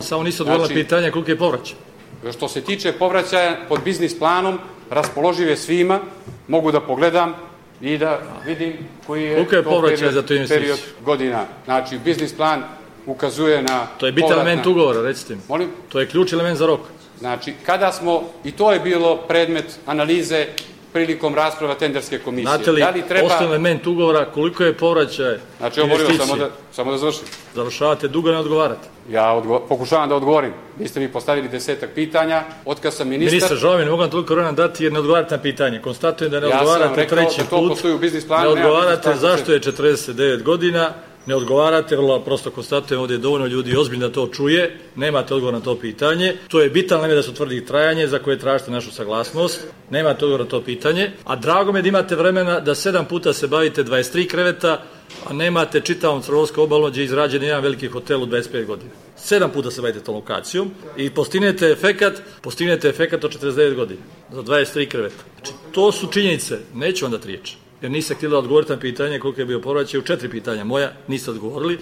Samo niste odgovorili na pitanje koliko je povraćaj. Što se tiče povraćaja pod biznis planom, raspoloživ je svima, mogu da pogledam i da vidim koji je period godina. Znači, biznis plan ukazuje na... To je bitan element ugovora, recite mi. Molim? To je ključ element za rok. Znači, kada smo, i to je bilo predmet analize prilikom rasprava tenderske komisije. Znate li, osnovni element ugovora, koliko je povraćaj investicije? Samo da završim. Završavate dugo, ne odgovarate. Ja pokušavam da odgovorim. Vi ste mi postavili 10 pitanja. Otkad sam ministar... Ministar, žao mi, ne mogu vam toliko vremena dati jer ne odgovarate na pitanje. Konstatujem da ne odgovarate treći put. Ne odgovarate zašto je 49 godina. Ne odgovarate, vrlo prosto konstatujem, ovdje je dovoljno ljudi ozbiljno da to čuje, nemate odgovor na to pitanje. To je bitan element da se utvrdi trajanje za koje tražite našu saglasnost, nemate odgovor na to pitanje, a drago me da imate vremena da 7 puta se bavite 23 kreveta, a nemate čitavom Crnogorskom obalom gdje je izrađen jedan veliki hotel u 25 godina. 7 puta se bavite tom lokacijom i postignete efekat od 49 godina za 23 kreveta. Znači, to su činjenice, neću vam dati riječ. Jer niste htjeli da odgovorite na pitanje koliko je bio povraćaj u 4 pitanja moja, niste odgovorili.